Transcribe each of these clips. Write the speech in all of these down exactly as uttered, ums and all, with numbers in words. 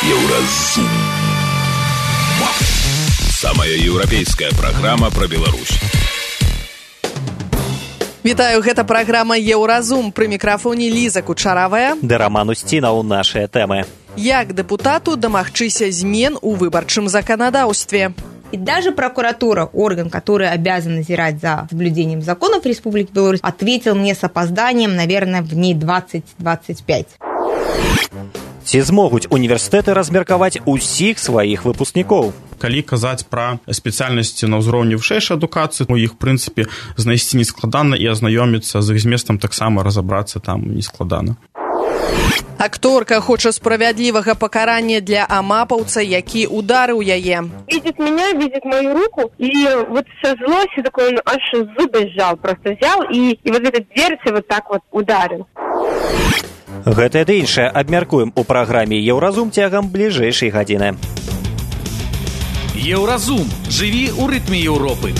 Еўразум. Самая еўрапейская праграма пра Беларусь. Вітаю, гэта праграма Еўразум. Пры мікрафоне Ліза Кучаравая. Ды Раман Усцінаў, нашыя тэмы. Як дэпутату дамагчыся змен у выбарчым законодаўстве? И даже прокуратура, орган, который обязан назирать за соблюдением законов Республики Беларусь, ответил мне с опозданием, наверное, в дней двадцать-двадцать пять. Ці змогуць універсітэты размеркаваць усіх сваіх выпускнікоў? Калі казаць пра спецыяльнасці на ўзроўні вышэйшай адукацыі, у іх, в прынцыпе, знайсці нескладана і азнаёміцца з іх зместам таксама разабрацца там нескладана. Акторка хоча справядлівага пакарання для амапаўца, які ударыў яе. Видит меня, видит мою руку, и вот со злостью такой он аж зубы сжал, просто взял и, и вот этот дверцы вот так вот ударил. Гэта ды іншае абмяркуем у праграме Еўразум цягам бліжэйшай гадзіны. Еўразум. Жыві ў рытме Еўропы.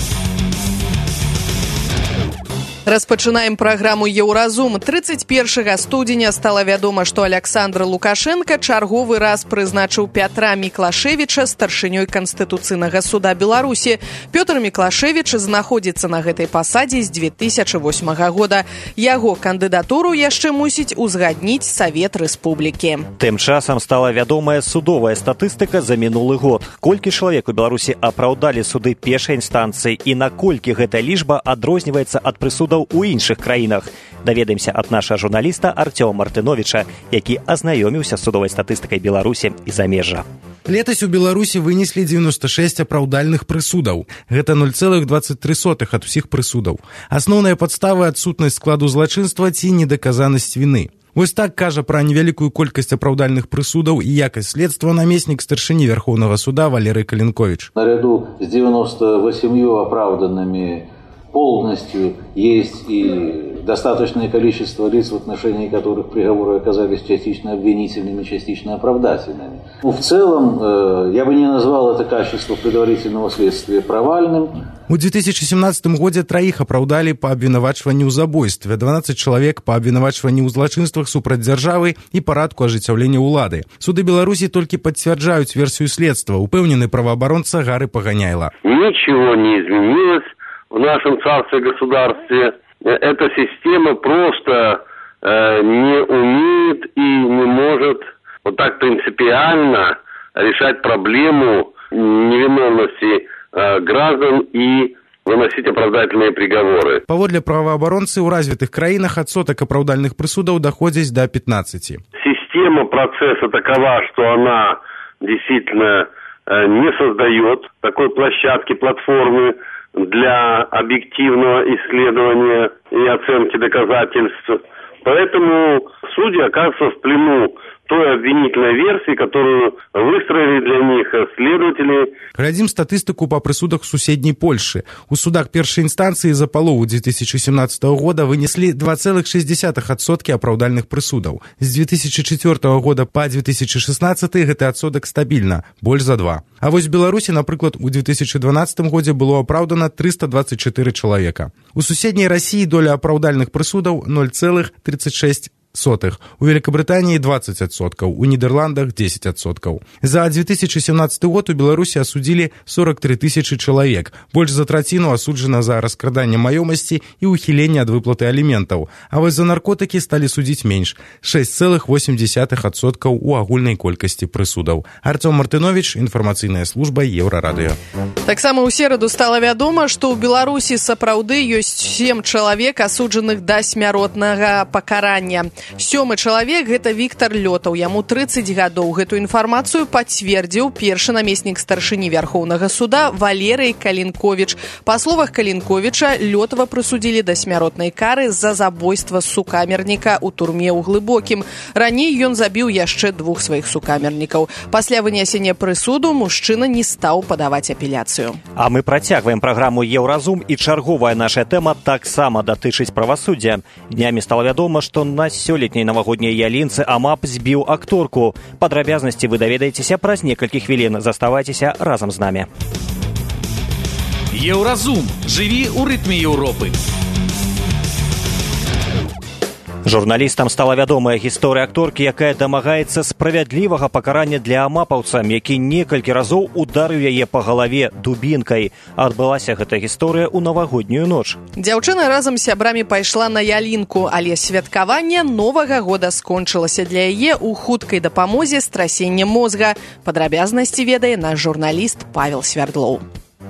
Распачынаем праграму Еўразум. трыццаць першага студзеня стала вядома, што Аляксандр Лукашенка чарговы раз прызначыў Пятра Міклашевіча старшынёй Канстытуцыйнага суда Беларусі. Пётр Міклашевіч знаходзіцца на гэтай пасадзе з дзве тысячы восьмага года. Яго кандыдатуру яшчэ мусіць узгадніць Савет Рэспублікі. Тым часам стала вядомая судовая статыстыка за мінулы год. Колькі чалавек у Беларусі апраўдалі суды першай інстанцыі і наколькі гэта лічба адрозніваецца ад прысудаў у іншых краінах. Даведаемся ад нашага журналіста Артёма Мартыновіча, які азнаёміўся з судовай статыстыкай Беларусі і замежжа. Летась у Беларусі вынеслі дзевяноста шэсць апраўдальных прысудаў. Гэта нуль цэлых дваццаць тры сотых ад усіх прысудаў. Асноўныя падставы — адсутнасць складу злачынства ці недаказанасць віны. Вось так кажа пра невялікую колькасць апраўдальных прысудаў і якасць следства намеснік старшыні Верховнага суда Валерый Калинкович. Наряду з девяноста восемью оправданными полностью есть и достаточное количество лиц, в отношении которых приговоры оказались частично обвинительными, частично оправдательными. Ну, в целом, э, я бы не назвал это качество предварительного следствия провальным. У две тысячи семнадцатым годзе траіх апраўдалі па абвінавачванні ў забойстве, дванаццаць чалавек па абвінавачванні ў злачынствах супраць дзяржавы і парадку ажыццяўлення ўлады. Суды Беларусі толькі пацвярджаюць версію следства, упэўнены праваабаронца Гары Паганяйла. Ничего не изменилось в нашем царстве-государстве. Эта система просто э, не умеет и не может вот так принципиально решать проблему невиновности э, граждан и выносить оправдательные приговоры. Паводле праваабаронцы, ў развітых краінах адсотак апраўдальных прысудаў даходзіць до пятнадцати. Система процесса такова, что она действительно э, не создает такой площадки, платформы для объективного исследования и оценки доказательств. Поэтому судьи оказываются в плену той обвинительной версии, которую выстроили для них следователи. Глядзім статыстыку па прысудах суседняй Польшы. У судах першай інстанцыі за палову две тысячи семнадцатого года вынеслі два цэлых шэсць дзесятых адсоткі апраўдальных прысудаў. З две тысячи четвёртого года па две тысячи шестнадцатый гэты адсотак стабільна, больш за два. А вось в Беларусі, напрыклад, у две тысячи дванаццатым годзе было апраўдана триста двадцать четыре чалавека. У суседняй Расіі доля апраўдальных прысудаў нуль цэлых тридцать шесть сотых. У Великобритании двадцать адсоткаў, у Нидерландах десять адсоткаў. За две тысячи семнадцатый год у Беларусі асудзілі сорок три тысячи чалавек. Больш за траціну асуджана за раскраданне маёмасці і ухіленне ад выплаты аліментаў. А вось за наркотыкі сталі судзіць менш — шесть цэлых восемь десятых адсоткаў у агульнай колькасці прысудаў. Артём Мартынович, інфармацыйная служба Еўрарадыё. Таксама ў сераду стала вядома, што ў Беларусі сапраўды ёсць сем чалавек, асуджаных да смяротнага пакарання. Сёмы чалавек — гэта Віктор Лётаў, яму трыццаць гадоў. Гэту інфармацыю пацвердзіў першы намеснік старшыні Вярхоўнага суда Валерый Калинкович. Па словах Калинковича, Лётава прысудзілі да смяротнай кары за забойства сукамерніка ў турме ў Глыбокім. Раней ён забіў яшчэ двух сваіх сукамернікаў. Пасля вынясення прысуду мужчына не стаў падаваць апеляцыю. А мы працягваем праграму Еўразум, і чарговая наша тэма таксама датычыць правасуддзя. Днямі стала вядома, што на сёлетняй навагодняй ялінцы АМАП збіў акторку. Падрабязнасці вы даведаецеся праз некалькі хвілін. Заставайцеся разам з намі. Еўразум. Жыві ў рытме Еўропы. Журналістам стала вядомая гісторыя акторкі, якая дамагаецца справядлівага пакарання для амапаўца, які некалькі разоў ударыў яе па галаве дубінкай. Адбылася гэта гісторыя ў навагоднюю ноч. Дзяўчына разам з сябрамі пайшла на ялінку, але святкаванне Новага года скончылася для яе ў хуткай дапамозе з трасеннем мозга. Падрабязнасці ведае наш журналіст Павел Свярдлоў.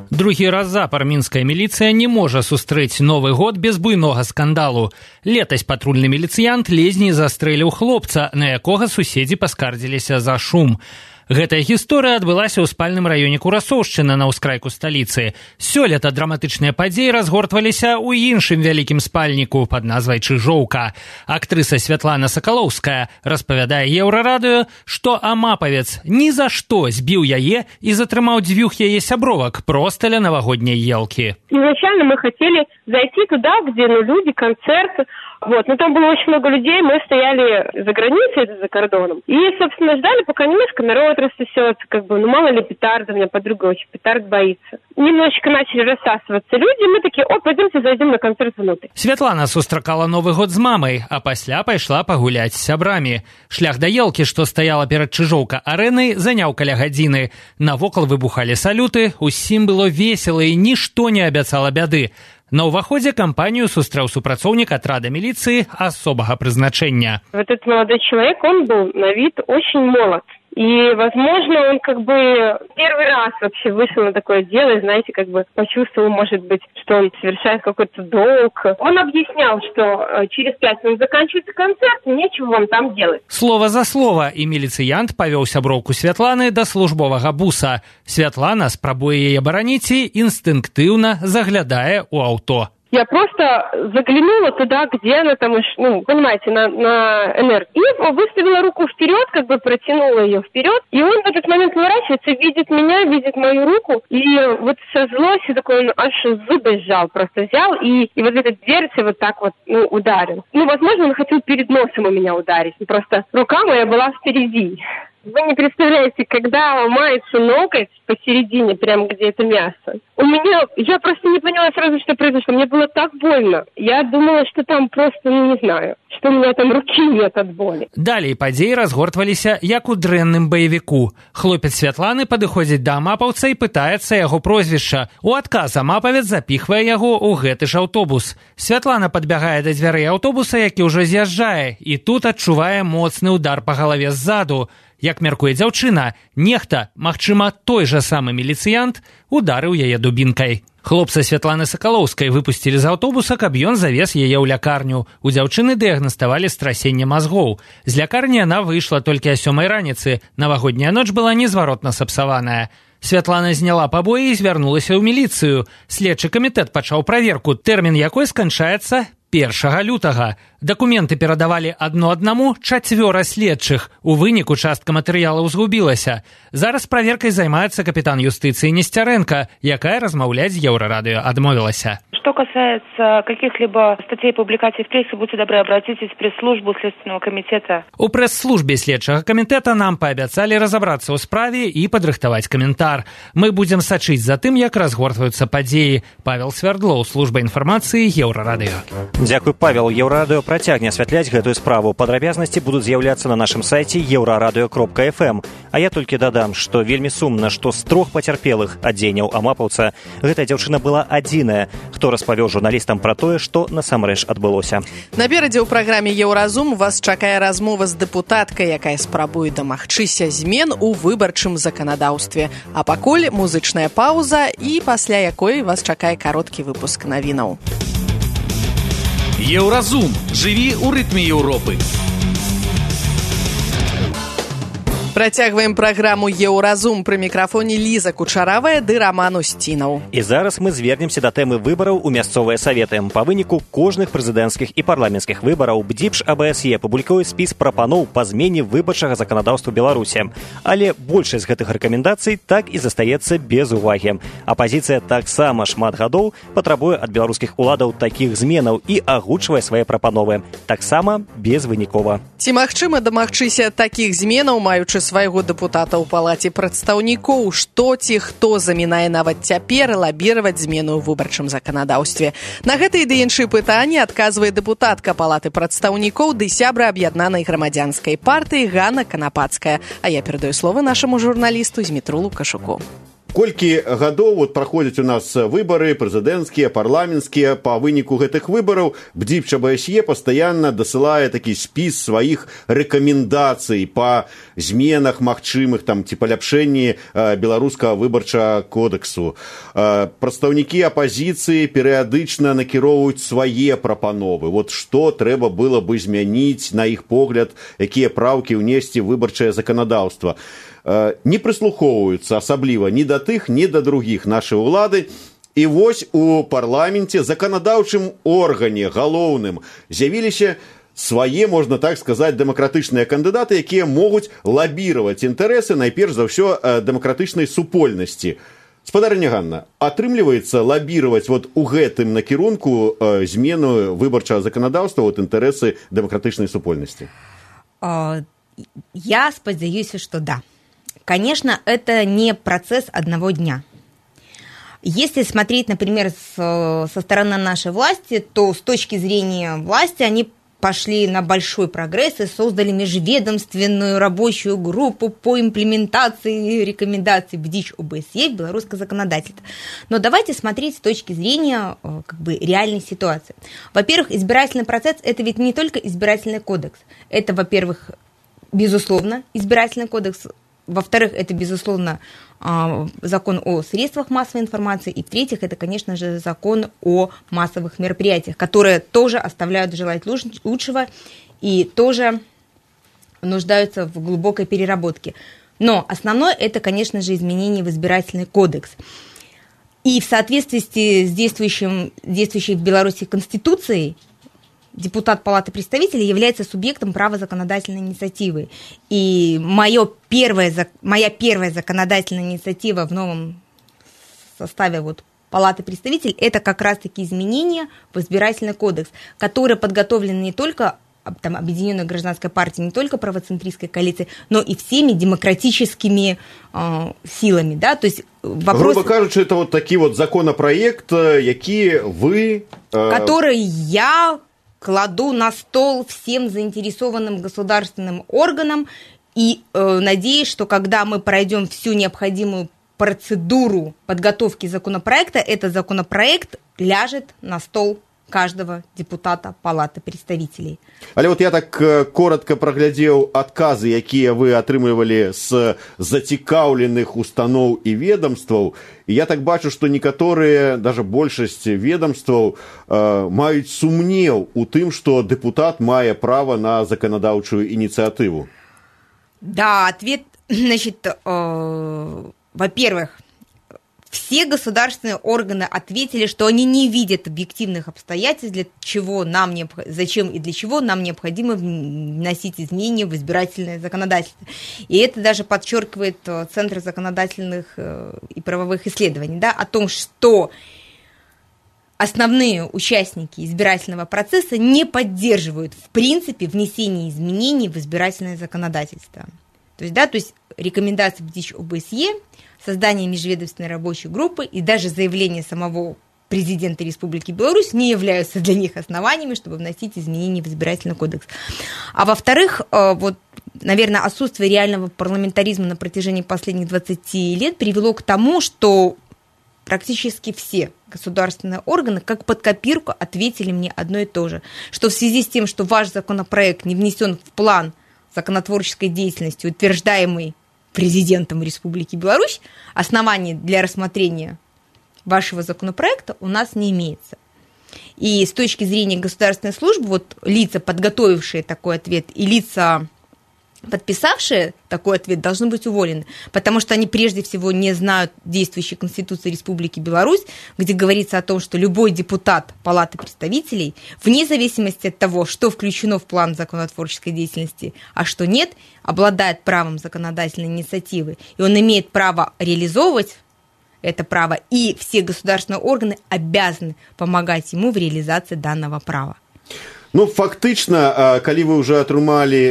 Другі раз запар мінская міліцыя не можа сустрэць Новы год без буйнога скандалу. Летась патрульны міліцыянт лезней застрэліў хлопца, на якога суседзі паскардзіліся за шум. Гэтая гісторыя адбылася ў спальным раёне Курасоўшчына на ўскрайку сталіцы. Сёлета драматычныя падзеі разгортваліся ў іншым вялікім спальніку пад назвай Чыжоўка. Актрыса Святлана Сакалоўская распавядае Еўрарадыё, што амапавец ні за што збіў яе і затрымаў дзвюх яе сябровак проста ля навагодняй елкі. Изначально мы хотели зайти туда, где ну, люди, концерты. Вот, но там было очень много людей, мы стояли за границей, за кордоном. И, собственно, ждали, пока немножко народ рассосется, как бы, ну, мало ли петард, у меня подруга очень петард боится. Немножечко начали рассасываться люди, мы такие, о, пойдемте зайдем на концерт внутрь. Святлана сустракала Новы год з мамай, а пасля пайшла пагуляць з сябрамі. Шлях да елкі, што стаяла перад Чыжоўка арэнай, заняў каля гадзіны. Навокал выбухалі салюты, усім было весела і нішто не абяцала бяды. На ўваходзе кампанію сустрэў супрацоўнік атрада міліцыі асобага прызначэння. Вот этот молодой человек, он был на вид очень молод. И, возможно, он как бы первый раз вообще вышел на такое дело, знаете, как бы почувствовал, может быть, что он совершает какой-то долг. Он объяснял, что через пять минут заканчивается концерт, и нечего вам там делать. Слово за слово, і міліцыянт павёў сяброўку Святланы да службовага буса. Святлана спрабуе яе бараніць і інстынктыўна заглядае ў аўто. Я просто заглянула туда, где она там, ну, понимаете, на, на эн эр. И выставила руку вперед, как бы протянула ее вперед. И он в этот момент поворачивается, видит меня, видит мою руку. И вот со злостью такой, он аж зубы сжал, просто взял. И, и вот эта дверца вот так вот, ну, ударил. Ну, возможно, он хотел перед носом у меня ударить. Просто рука моя была впереди. Вы не представляете, когда ломается ноготь посередине, прямо где это мясо. У меня, я просто не поняла сразу, что произошло. Мне было так больно. Я думала, что там просто, ну, не знаю, что у меня там руки нет от боли. Далей падзеі разгортваліся, як у дрэнным баевіку. Хлопец Святланы падыходзіць да амапаўца і пытаецца яго прозвішча. У адказ амапавец запіхвае яго ў гэты ж аўтобус. Святлана падбягае да дзвярэй аўтобуса, які ўжо з'язджае, і тут адчувае моцны удар па галаве ззаду. Як мяркуе дзяўчына, нехта, магчыма, той жа самы міліцыянт, ударыў яе дубінкай. Хлопца Святланы Сакалоўскай выпусцілі з аўтобуса, каб ён завез яе ў лякарню. У дзяўчыны дыягнаставалі страсенне мазгоў. З лякарні яна выйшла толькі а сёмай раніцы. Навагодняя ноч была незваротна сапсаваная. Святлана зняла пабоі і звярнулася ў міліцыю. Следчы камітэт пачаў праверку, тэрмін якой сканчаецца першага лютага. Дакументы перадавалі адно аднаму чацвёра следчых. У выніку частка матэрыялаў згубілася. Зараз праверкай займаецца капітан юстыцыі Несцярэнка, якая размаўляць з Еўрарадыё адмовілася. Что касается каких-либо статей и публикаций в прессе, будьте добры, обратитесь в пресс-службу Следственного комитета. У прэс-службе следчага камітэта нам паабяцалі разабрацца ў справе і падрыхтаваць каментар. Мы будзем сачыць за тым, як разгортваюцца падзеі. Павел Свярдлоў, служба інфармацыі Еўрарадыё. Дзякуй, Павел. Еўрарадыё працягне асвятляць гэтую справу. Падрабязнасці будуць з'яўляцца на нашым сайце еўрарадыё кропка эф эм. А я толькі дадам, што вельмі сумна, што з трох пацярпелых ад дзеянняў амапаўца гэтая дзяўчына была адзіная, хто распавёў журналістам пра тое, што насамрэч адбылося. Наперадзе ў праграме «Еўразум» вас чакае размова з дэпутаткай, якая спрабуе дамагчыся змен у выбарчым заканадаўстве. А пакуль музычная паўза, і пасля якой вас чакае кароткі выпуск навінаў. Еўразум. Жыві ў рытме Еўропы. Працягваем праграму «Еўразум». Пры мікрафоне Ліза Кучаравая ды Раман Усцінаў. І зараз мы звернемся да тэмы выбараў у мясцовыя саветы. Па выніку кожных прэзідэнцкіх і парламенцкіх выбараў БДІПШ а бэ эс е публікуе спіс прапаноў па змене выбарчага заканадаўства Беларусі. Але большасць гэтых рэкамендацый так і застаецца без увагі. Апазіцыя таксама шмат гадоў патрабуе ад беларускіх уладаў такіх зменаў і агучвае свае прапановы. Таксама безвынікова. Ці магчыма дамагчыся такіх зменаў, маючы свайго дэпутата ў палаце прадстаўнікоў, што ці хто замінае нават цяпер лабіраваць змену ў выбарчым заканадаўстве. На гэтыя ды іншыя пытанні адказвае дэпутатка палаты прадстаўнікоў ды сябра аб'яднанай грамадзянскай партыі Ганна Канапацкая. А я перадаю слово нашаму журналісту Змітру Лукашуку. Колькі гадоў вот праходзяць у нас выбары прэзідэнцкія, парламенцкія, па выніку гэтых выбараў БДИП ЧБСЕ пастаянна дасылае такі спіс сваіх рэкамендацый па зменах магчымых там ці паляпшэнні беларускага выбарчага кодексу. Прадстаўнікі апазіцыі перыядычна накіроўваюць свае прапановы. Вот што трэба было бы змяніць, на іх погляд, якія праўкі ўнесці ў выбарчае заканадаўства. Не прыслухоўваюцца асабліва ні да тых, ні да другіх нашай улады. І вось у парламенце, заканадаўчым органе галоўным, з'явіліся свае, можна так сказаць, дэмакратычныя кандыдаты, якія могуць лабіраваць інтарэсы, найперш за ўсё, дэмакратычнай супольнасці. Спадарыня Ганна, атрымліваецца лабіраваць вот у гэтым накірунку змену выбарчага заканадаўства вот інтарэсы дэмакратычнай супольнасці? Я спадзяюся, што да. Конечно, это не процесс одного дня. Если смотреть, например, с, со стороны нашей власти, то с точки зрения власти они пошли на большой прогресс и создали межведомственную рабочую группу по имплементации рекомендаций БДИЧ ОБСЕ в белорусское законодательство. Но давайте смотреть с точки зрения как бы, реальной ситуации. Во-первых, избирательный процесс – это ведь не только избирательный кодекс. Это, во-первых, безусловно, избирательный кодекс. Во-вторых, это, безусловно, закон о средствах массовой информации. И в-третьих, это, конечно же, закон о массовых мероприятиях, которые тоже оставляют желать лучшего и тоже нуждаются в глубокой переработке. Но основное, это, конечно же, изменение в избирательный кодекс. И в соответствии с действующим, действующей в Беларуси Конституцией, депутат Палаты представителей является субъектом права законодательной инициативы. И моё первое, моя первая законодательная инициатива в новом составе вот Палаты представителей – это как раз-таки изменения в избирательный кодекс, которые подготовлены не только там, Объединенной гражданской партией, не только правоцентристской коалицией, но и всеми демократическими э, силами. Да? То есть вопрос... Грубо кажучи, это вот такой вот законопроект, який вы... Э... Который я... кладу на стол всем заинтересованным государственным органам и э, надеюсь, что когда мы пройдем всю необходимую процедуру подготовки законопроекта, этот законопроект ляжет на стол каждого депутата Палаты представителей. Але вот я так коротко праглядзеў адказы, якія вы атрымлівалі з зацікаўленых устаноў і ведомстваў, і я так бачу, што некаторыя, даже большасць ведомстваў, э, маюць сумнеў у тым, што дэпутат мае права на законодаўчую ініцыятыву. Да, ответ, значит, э, во-первых, все государственные органы ответили, что они не видят объективных обстоятельств, для чего нам необх... зачем и для чего нам необходимо вносить изменения в избирательное законодательство. И это даже подчеркивает Центр законодательных и правовых исследований, да, о том, что основные участники избирательного процесса не поддерживают в принципе внесение изменений в избирательное законодательство. То есть, да, то есть рекомендации БДИЧ ОБСЕ, создание межведомственной рабочей группы и даже заявление самого президента Республики Беларусь не являются для них основаниями, чтобы вносить изменения в избирательный кодекс. А во-вторых, вот, наверное, отсутствие реального парламентаризма на протяжении последних двадцати лет привело к тому, что практически все государственные органы, как под копирку, ответили мне одно и то же, что в связи с тем, что ваш законопроект не внесен в план законотворческой деятельности, утверждаемый президентом Республики Беларусь, оснований для рассмотрения вашего законопроекта у нас не имеется. И с точки зрения государственной службы, вот лица, подготовившие такой ответ, и лица, подписавшие такой ответ, должны быть уволены, потому что они прежде всего не знают действующей Конституции Республики Беларусь, где говорится о том, что любой депутат Палаты представителей, вне зависимости от того, что включено в план законотворческой деятельности, а что нет, обладает правом законодательной инициативы, и он имеет право реализовывать это право, и все государственные органы обязаны помогать ему в реализации данного права. Ну, фактычна, калі вы ўжо атрымалі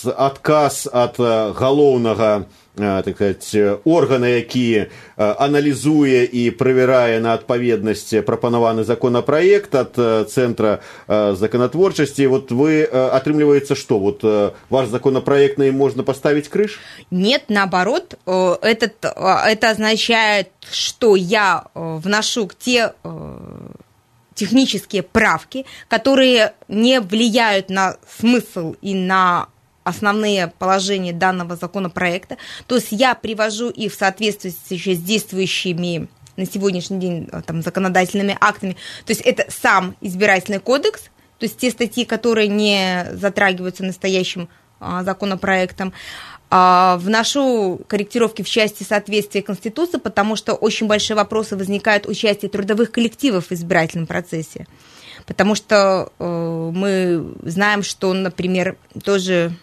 адказ ад галоўнага, так сказать, органа, які аналізуе і правярае на адпаведнасць прапанаваны законапраект ад Цэнтра законотворчасці, вот вы, атрымліваецца, что вот ваш законопроект, на им можно поставить крыш? Нет, наоборот, этот, это означает, что я вношу те технические правки, которые не влияют на смысл и на основные положения данного законопроекта. То есть я привожу их в соответствии с действующими на сегодняшний день там, законодательными актами. То есть это сам избирательный кодекс, то есть те статьи, которые не затрагиваются настоящим а, законопроектом. А, вношу корректировки в части соответствия Конституции, потому что очень большие вопросы возникают у части трудовых коллективов в избирательном процессе. Потому что э, мы знаем, что, например, тоже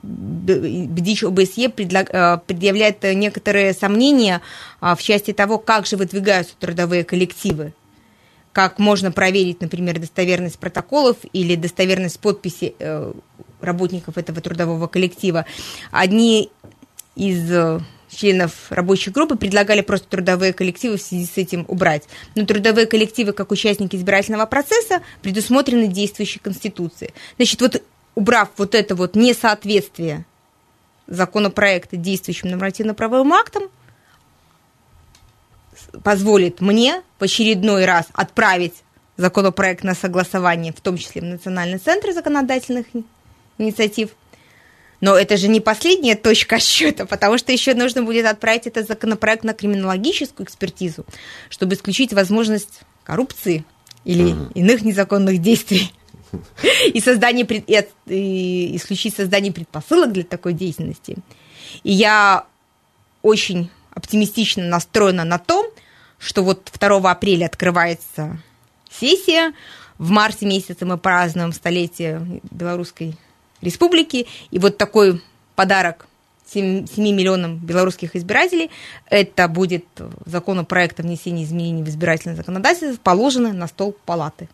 БДИЧ ОБСЕ предъявляет некоторые сомнения в части того, как же выдвигаются трудовые коллективы, как можно проверить, например, достоверность протоколов или достоверность подписи работников этого трудового коллектива. Одни из членов рабочей группы предлагали просто трудовые коллективы в связи с этим убрать. Но трудовые коллективы, как участники избирательного процесса, предусмотрены действующей Конституцией. Значит, вот убрав вот это вот несоответствие законопроекта действующим нормативно-правовым актам, позволит мне в очередной раз отправить законопроект на согласование, в том числе в Национальный центр законодательных инициатив. Но это же не последняя точка отсчета, потому что еще нужно будет отправить этот законопроект на криминологическую экспертизу, чтобы исключить возможность коррупции или mm-hmm. иных незаконных действий. И, создание, и, и исключить создание предпосылок для такой деятельности. И я очень оптимистично настроена на то, что вот второго апреля открывается сессия, в марте месяце мы празднуем столетие Белорусской Республики, и вот такой подарок семи миллионам белорусских избирателей, это будет законопроект о внесении изменений в избирательное законодательство, положено на стол палаты.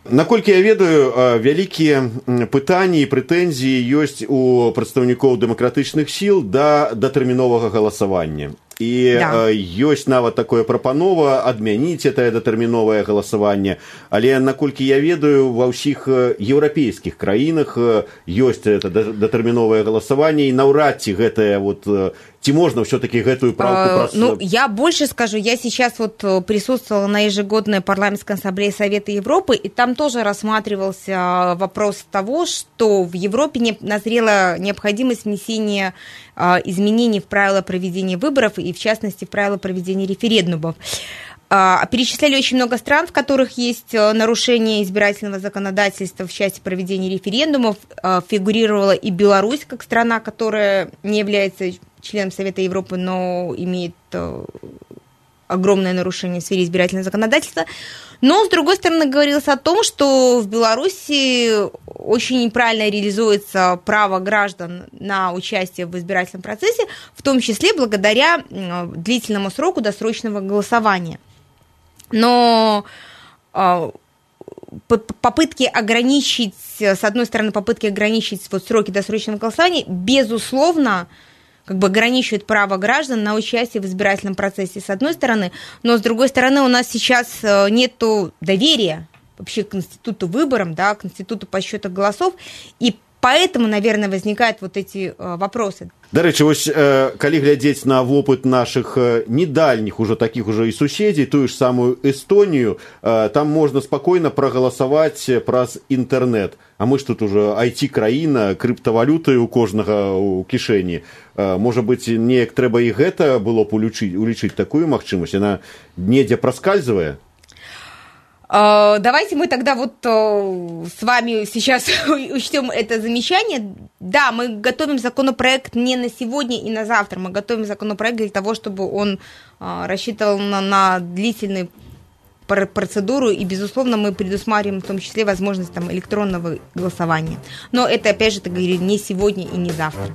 Наколькі я ведаю, вялікія пытанні і прэтэнзіі ёсць у прадстаўнікоў дэмакратычных сіл да датэрміновага галасавання. І да. ёсць нават такое прапанова адмяніць гэтае датэрміновае галасаванне, але наколькі я ведаю, ва ўсіх еўрапейскіх краінах ёсць гэта датэрміновае галасаванне, і наўрад ці гэтае вот ці можно все-таки гэтую правку... Э, ну, я больше скажу, я сейчас вот присутствовала на ежегодной парламентской ассамблее Совета Европы, и там тоже рассматривался вопрос того, что в Европе не, назрела необходимость внесения э, изменений в правила проведения выборов, и в частности в правила проведения референдумов. Э, перечисляли очень много стран, в которых есть нарушение избирательного законодательства в части проведения референдумов. Э, фигурировала и Беларусь как страна, которая не является членом Совета Европы, но имеет огромное нарушение в сфере избирательного законодательства. Но, с другой стороны, говорилось о том, что в Беларуси очень неправильно реализуется право граждан на участие в избирательном процессе, в том числе благодаря длительному сроку досрочного голосования. Но попытки ограничить, с одной стороны, попытки ограничить вот сроки досрочного голосования, безусловно, как бы ограничивает право граждан на участие в избирательном процессе, с одной стороны, но с другой стороны у нас сейчас нет доверия вообще к институту выборам, да, к институту подсчета голосов, и поэтому, наверное, возникают вот эти вопросы. Дарэчы, вось калі глядзець на вопыт нашых недальніх уже таких уже і суседзей, тую ж самую Эстонію, там можна спакойна прагаласаваць праз інтэрнэт. А мы ж тут уже ай ти-краіна, крыптавалюты у кожнага ў кішэні. Можа быць, неяк трэба і гэта было б улічыць, улічыць такую магчымасць, яна недзе праскальзывае? Давайте мы тогда вот с вами сейчас учтем это замечание. Да, мы готовим законопроект не на сегодня и на завтра. Мы готовим законопроект для того, чтобы он рассчитывал на, на длительный процедуру, и, безусловно, мы предусматриваем в том числе возможность там, электронного голосования. Но это, опять же, так говорю, не сегодня и не завтра.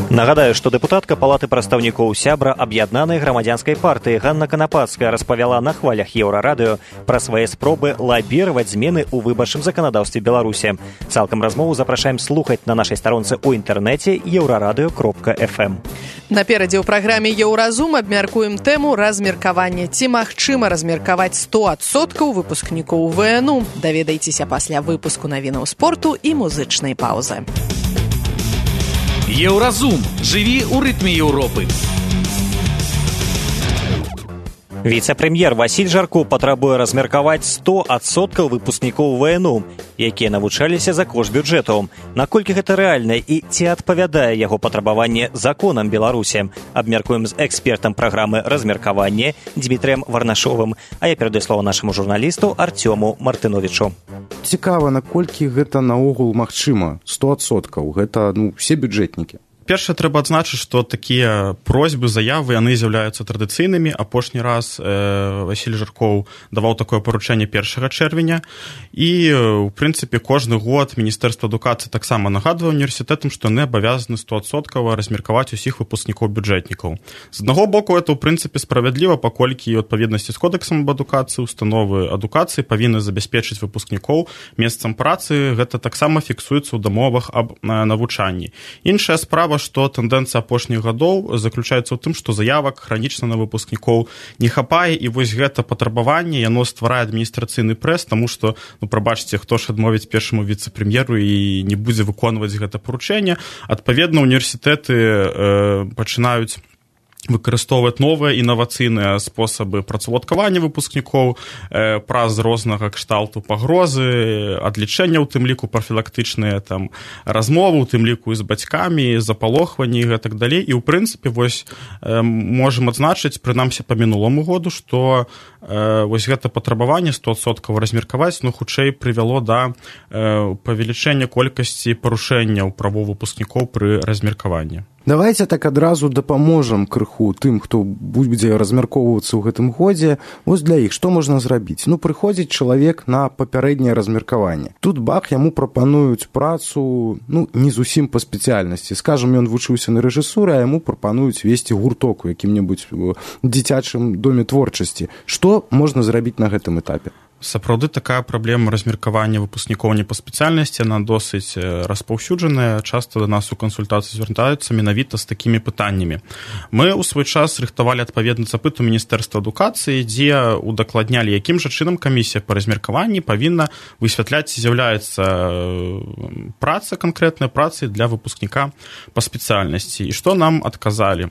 Нагадаю, што дэпутатка палаты прадстаўнікоў сябра аб'яднанай грамадзянскай партыі Ганна Канапацкая распавяла на хвалях Еўрарадыё пра свае спробы лабіраваць змены ў выбарчым заканадаўстве Беларусі. Цалкам размову запрашаем слухаць на нашай старонцы ў інтэрнэце еўрарадыё кропка эф эм. Наперадзе ў праграме «Еўразум» абмяркуем тэму размеркавання. Ці магчыма размеркаваць сто адсоткаў выпускнікоў вэ эн у? Даведайцеся пасля выпуску навінаў спорту і музычнай паўзы. Еўразум. Жыві ў рытме Еўропы. Віцэ-прэм'ер Васіль Жарко патрабуе размеркаваць сто адсоткаў выпускнікоў вэ эн у, якія навучаліся за кошт бюджэту. Наколькі гэта рэальна і ці адпавядае яго патрабаванне законам Беларусі? Абмяркуем з экспертам праграмы размеркавання Дмітрыем Варнашовым. А я перадаю слова нашаму журналісту Артёму Мартыновічу. Цікава, наколькі гэта наогул магчыма? сто адсоткаў. Гэта, ну, все бюджэтнікі. Першае, трэба адзначыць, што такія просьбы, заявы, яны з'яўляюцца традыцыйнымі. Апошні раз э, Васіль Жаркоў даваў такое паручэнне першага чэрвеня. І, ў прынцыпе, кожны год Міністэрства адукацыі таксама нагадвае універсітэтам, што яны абавязаны сто адсоткаў размеркаваць усіх выпускнікоў бюджэтнікаў. З аднаго боку, это, ў прынцыпе, справядліва, паколькі ў адпаведнасці з кодексам аб адукацыі установы адукацыі павінны забяспечыць выпускнікоў месцам працы. Гэта таксама фіксуецца ў дамовах аб навучанні. Іншая справа, што тэндэнцыя апошніх гадоў заключаецца ў тым, што заявак хранічна на выпускнікоў не хапае, і вось гэта патрабаванне, яно стварае адміністрацыйны прэс, таму што, ну, прабачце, хто ж адмовіць першаму віцэ-прэм'еру і не будзе выконваць гэта паручэнне. Адпаведна, універсітэты э, пачынаюць выкарыстоўваць новыя інавацыйныя спосабы працаўладкавання выпускнікоў э, праз рознага кшталту пагрозы, адлічэння, у тым ліку прафілактычныя там размовы, у тым ліку і з бацькамі, запалохванні і гэтак далей. І ў прынцыпе вось э, можам адзначыць, прынамсі па мінуламу году, што э, вось гэта патрабаванне сто адсоткаў размеркаваць, ну, хутчэй прывяло да э, павелічэння колькасці парушэнняў правоў выпускнікоў пры размеркаванні. Давайте так адразу дапаможам крыху тым, хто будзе размяркоўвацца ў гэтым годзе. Вось для іх што можна зрабіць? Ну, прыходзіць чалавек на папярэдняе размеркаванне. Тут бах, яму прапануюць працу, ну, не зусім па спецыяльнасці. Скажам, ён вучыўся на рэжысуры, а яму прапануюць весці гурток у якім-небудзь дзіцячым доме творчасці. Што можна зрабіць на гэтым этапе? Сапраўды такая праблема размеркавання выпускнікоў не па спецыяльнасці, яна досыць распаўсюджаная. Часта да нас у кансультацыі звяртаюцца менавіта з такімі пытаннямі. Мы ў свой час рыхтавалі адпаведны запыт у Міністэрства адукацыі, дзе удакладнялі, якім жа чынам камісія па размеркаванні павінна высвятляць, ці з'яўляецца праца, канкрэтная праца для выпускніка па спецыяльнасці. І што нам адказалі?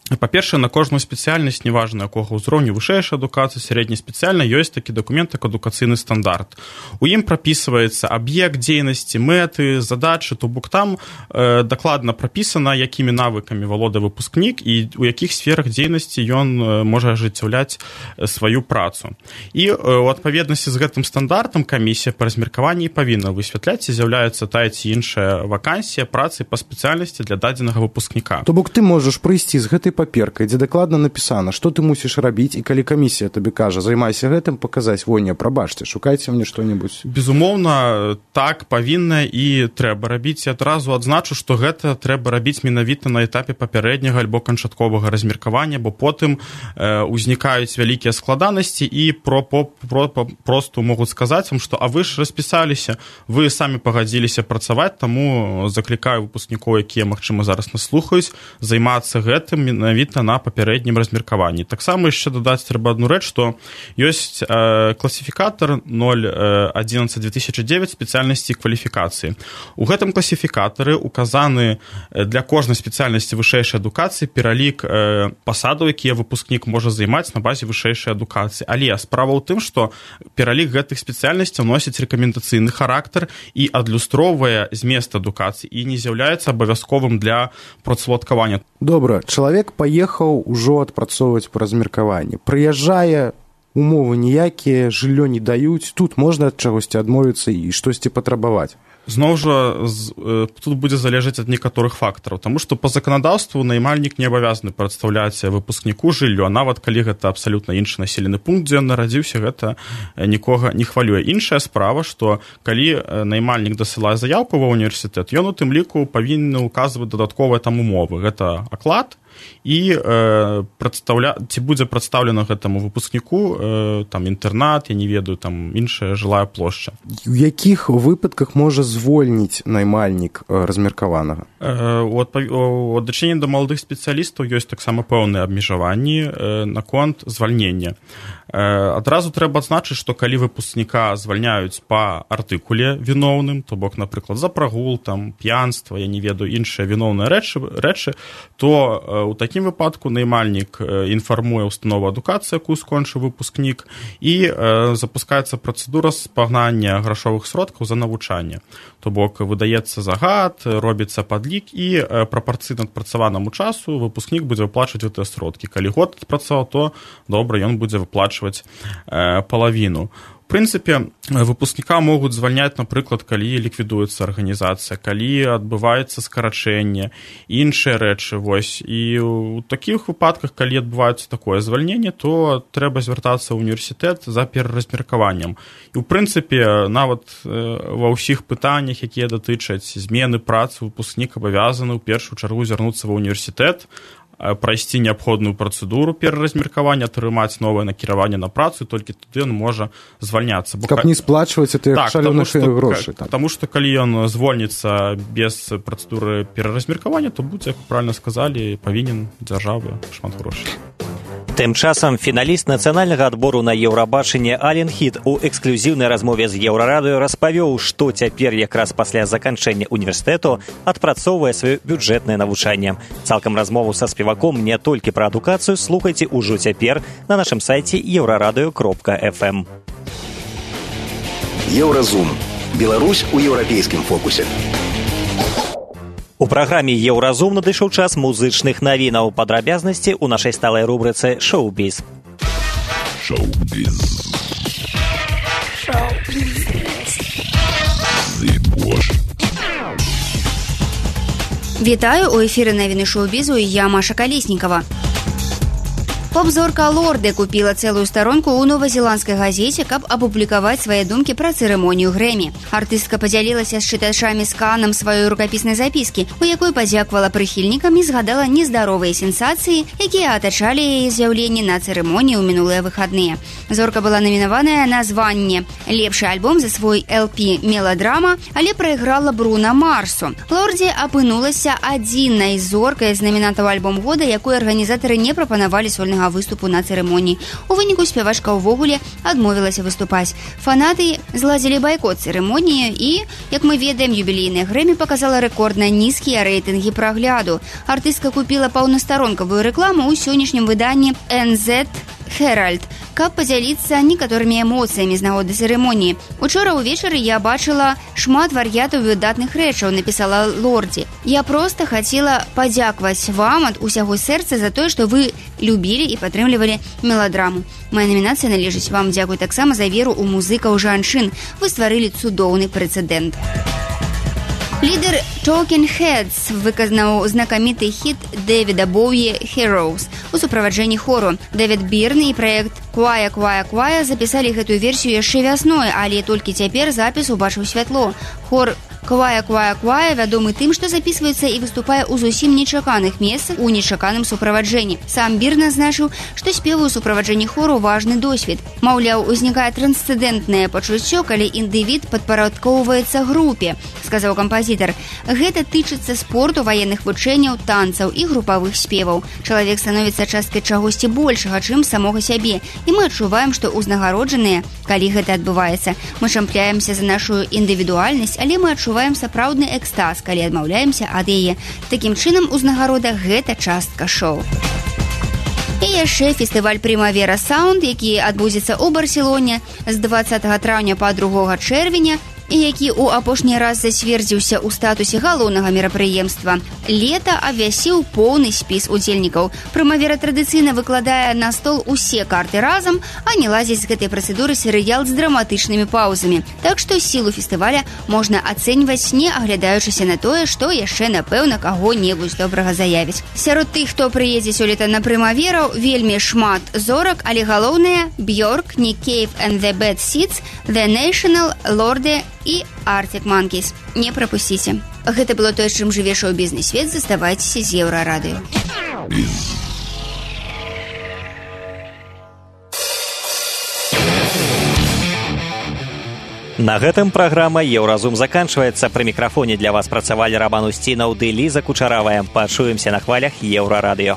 Па-першае, на кожную спецыяльнасць, неважна якога ўзроўню, вышэйшай адукацыі, сярэдняй спецыяльнай, ёсць такі дакумент, як адукацыйны стандарт. У ім прапісваецца аб'ект дзейнасці, мэты, задачы, то бок там э, дакладна прапісана, якімі навыкамі валодае выпускнік і у якіх сферах дзейнасці ён э, можа ажыццяўляць сваю працу. І э, у адпаведнасці з гэтым стандартам камісія па размеркаванні павінна высвятляць, ці з'яўляецца тая ці іншая вакансія працы па спецыяльнасці для дадзенага выпускніка. То бок ты можаш прыйсці з гэтай паперкай, дзе дакладна напісана, што ты мусіш рабіць, і калі камісія табе кажа, займайся гэтым, паказаць, во, не, прабачце, шукайце мне што-небудзь. Безумоўна, так павінна і трэба рабіць. Я адразу адзначу, што гэта трэба рабіць менавіта на этапе папярэдняга альбо канчатковага размеркавання, бо потым э, узнікаюць вялікія складанасці і про, про, про, просто могуць сказаць вам, што а вы ж распісаліся, вы самі пагадзіліся працаваць, таму заклікаю выпускнікоў, якія, магчыма, зараз нас слухаюць, займацца гэтым менавіта на папярэднім размеркаванні. Таксама яшчэ дадаць трэба адну рэч, што ёсць э, класіфікатар ноль адзінаццаць две тысячы дзевяць спецыяльнасці кваліфікацыі. У гэтым класіфікатары указаны для кожнай спецыяльнасці вышэйшай адукацыі пералік э, пасадаў, якія выпускнік можа займаць на базе вышэйшай адукацыі. Але справа ў тым, што пералік гэтых спецыяльнасцяў носіць рэкамендацыйны характар і адлюстроўвае змест адукацыі і не з'яўляецца абавязковым для працаўладкавання. Добра, чалавек паехаў ужо адпрацоўваць па размеркаванні. Прыязджае, умовы ніякія, жыллё не даюць, тут можна ад чагосьці адмовіцца і штосьці патрабаваць. Зноў жа тут будзе залежаць ад некаторых фактараў, таму што па заканадаўству наймальнік не абавязаны прадстаўляць выпускніку жыллё, нават калі гэта абсалютна іншы населены пункт, дзе ён нарадзіўся, гэта нікога не хвалюе. Іншая справа, што калі наймальнік дасылае заяўку ва універсітэт, ён у тым ліку павінен указваць дадатковыя там умовы. Гэта аклад і э, прадстаўля... ці будзе прадстаўлена гэтаму выпускніку э, там інтэрнат, я не ведаю, там іншая жылая плошча. У якіх выпадках можа звольніць наймальнік э, размеркаванага? Э, у адношэнні да маладых спецыялістаў ёсць таксама пэўныя абмежаванні э, наконт звальнення. Э, адразу трэба адзначыць, што калі выпускніка звальняюць па артыкуле віноўным, то бок, напрыклад, за прагул, там, п'янства, я не ведаю, іншыя віноўныя рэчы, рэчы, то э, у такім выпадку наймальнік інфармуе установу адукацыі, якую скончыў выпускнік, і э, запускаецца працэдура спагнання грашовых сродкаў за навучанне. То бок выдаецца загад, робіцца падлік, і э, прапарцыйна адпрацаванаму часу выпускнік будзе выплачваць гэтыя сродкі. Калі год адпрацаваў, то добра, ён будзе выплачваць э, палавіну. В прынцыпе, выпускніка могуць звальняць, напрыклад, калі ліквідуецца арганізацыя, калі адбываецца скарачэнне, іншыя рэчы. Вось. І ў такіх выпадках, калі адбываецца такое звальненне, то трэба звяртацца ў універсітэт за пераразмеркаваннем. І, ў прынцыпе, нават ва ўсіх пытаннях, якія датычаць змены працы, выпускнік абавязаны ў першую чаргу звярнуцца ва універсітэт, прайсці неабходную працэдуру пераразмеркавання, атрымаць новае накіраванне на працу, і толькі тады ён можа звальняцца. Каб не сплачваць гэтыя так, шалёныя грошы. Таму што калі ён звольніцца без працэдуры пераразмеркавання, то будзе, як правильна сказалі, павінен дзяржаве шмат грошай. Тым часам фіналіст нацыянальнага адбору на Еўрабачанне Ален Хіт у эксклюзіўнай размове з Еўрарадыё распавёў, што цяпер якраз пасля заканчэння універсітэту адпрацоўвае сваё бюджэтнае навучанне. Цалкам размову са спеваком не толькі пра адукацыю слухайце ўжо цяпер на нашым сайце еўрарадыё кропка эф эм. Еўразум. Беларусь у еўрапейскім фокусе. У праграме «Еўразум» надышоў час музычных навінаў. Падрабязнасці ў нашай сталай рубрыцы «Шоу-біз». Шоу-біз. Вітаю, у эфіры навіны шоу-бізу, я Маша Калеснікава. Поп-зорка Лорде купила цэлую старонку ў новазеландскай газеце, каб апублікаваць свае думкі пра цырымонію Грэмі. Артыстка падзялілася з чытачамі сканам сваёй рукапіснай запіскі, у якой падзякавала прыхільнікам і згадала нездаровыя сенсацыі, якія атачалі яе з'яўленне на цырымоніі ў мінулыя выхадныя. Зорка была намінаваная на званне «Лепшы альбом за свой эл пі «Меладрама», але прайграла Бруно Марсу. Лорде апынулася адзінай зоркай з намінантаў альбом года, якой арганізатары не прапанавалі сольнага выступу на цырымоніі. У выніку спявачка ўвогуле адмовілася выступаць. Фанаты зладзілі байкот цырымоніі і, як мы ведаем, юбілейная Грэмі паказала рэкордна нізкія рэйтынгі прагляду. Артыстка купіла паўнастаронкавую рэкламу ў сённяшнім выданні эн зет Herald, каб падзяліцца некаторымі эмоцыямі з нагоды цырымоніі. Учора ўвечары я бачыла шмат вар'ятаў выдатных рэчаў, напісала Лорде. Я проста хацела падзякаваць вам ад усяго сэрца за тое, што вы любілі і падтрымлівалі меладраму. Мая намінацыя належыць вам. Дзякуй таксама за веру ў музыкаў жанчын. Вы стварылі цудоўны прэцэдэнт. Лідер Talking Heads выказаў знакаміты хіт Дэвіда Боуі «Heroes» у суправаджэнні хору. Дэвід Бірн і праект «Квая, квая, квая» запісалі гэтую версію яшчэ вясной, але толькі цяпер запіс убачыў святло. Хор «Квая, квая, квая» вядомы тым, што запісваецца і выступае ў зусім нечаканых месцах у нечаканым суправаджэнні. Сам Бірн азначыў, што спевы ў суправаджэнні хору важны досвед. Маўляў, узнікае трансцэндэнтнае пачуццё, калі індывід падпарадкоўваецца групе, сказаў кампазітар. Гэта тычыцца спорту, ваенных вучэнняў, танцаў і групавых спеваў. Чалавек становіцца часткай чагосьці большага, чым самога сябе. І мы адчуваем, што ўзнагароджаныя, калі гэта адбываецца. Мы чампляемся за нашу індывідуальнасць, але мы адчуваем сапраўдны экстаз, калі адмаўляемся ад яе. Такім чынам, узнагарода – гэта частка шоу. І яшчэ фестываль «Примавера Саунд», які адбудзецца ў Барселоне з дваццатага траўня па другога чэрвеня, і які ў апошні раз зацвердзіўся ў статусе галоўнага мерапрыемства. Лета абвясіў поўны спіс удзельнікаў. Прымавера традыцыйна выкладае на стол усе карты разам, а не лазіць з гэтай працэдуры серыял з драматычнымі паўзамі. Так што сілу фестываля можна ацэньваць, не аглядаючыся на тое, што яшчэ, напэўна, каго-небудзь добрага заявіць. Сярод тых, хто прыедзе сёлета на прымаверу, вельмі шмат зорак, але галоўнае – Björk, Nick Cave and the Bad Seeds, The National, Lorde і Arctic Monkeys. Не прапусціце. Гэта было тое, чым жыве шоу-бізнес-свет. Заставайцеся з Еўрарадыё. На гэтым праграма «Еўразум» заканчваецца. Пры мікрафоне для вас працавалі Раман Усцінаў ды Ліза Кучаравая. Пачуемся на хвалях Еўрарадыё.